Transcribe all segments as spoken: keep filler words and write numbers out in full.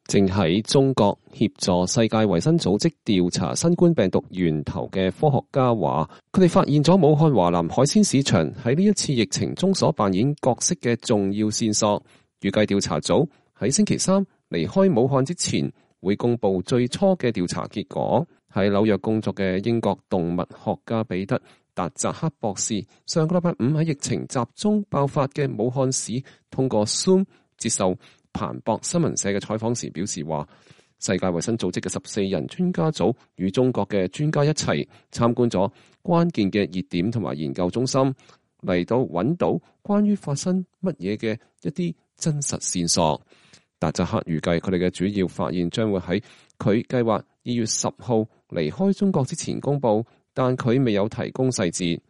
正喺中國協助世界衛生組織調查新冠病毒源頭嘅科學家話，佢哋發現咗武漢華南海鮮市場喺呢一次疫情中所扮演角色嘅重要線索。預計調查組喺星期三離開武漢之前，會公布最初嘅調查結果。喺紐約工作嘅英國動物學家彼得達扎克博士，上個禮拜五喺疫情集中爆發嘅武漢市，通過 Zoom 接受彭博新聞社嘅採訪時表示話，世界衛生組織嘅十四人專家組與中國嘅專家一齊參觀咗關鍵嘅熱點同埋研究中心，嚟到揾到關於發生乜嘢嘅一啲真實線索。達扎克預計佢哋嘅主要發現將會喺佢計劃二月十號離開中國之前公佈，但佢未有提供細節。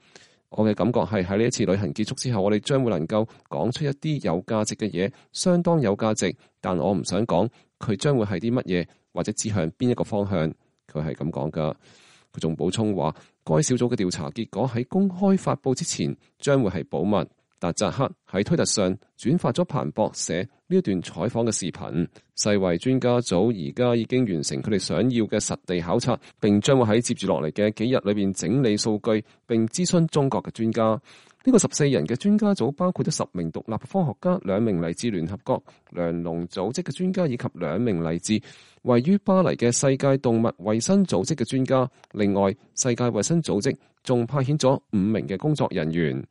我嘅感覺係喺呢一次旅行結束之後，我哋將會能夠講出一啲有價值嘅嘢，相當有價值。但我唔想講佢將會係啲乜嘢，或者指向邊一個方向。佢係咁講噶。佢仲補充話，該小組嘅調查結果喺公開發佈之前將會係保密。達扎克喺推特上轉發咗彭博社呢一段採訪嘅視頻。世衛專家組而家已經完成佢哋想要嘅實地考察，並將會喺接住落嚟嘅幾日裏邊整理數據，並諮詢中國嘅專家。呢、這個十四人嘅專家組包括咗十名獨立科學家、兩名嚟自聯合國糧農組織嘅專家，以及兩名嚟自位於巴黎嘅世界動物衛生組織嘅專家。另外，世界衛生組織仲派遣咗五名嘅工作人員。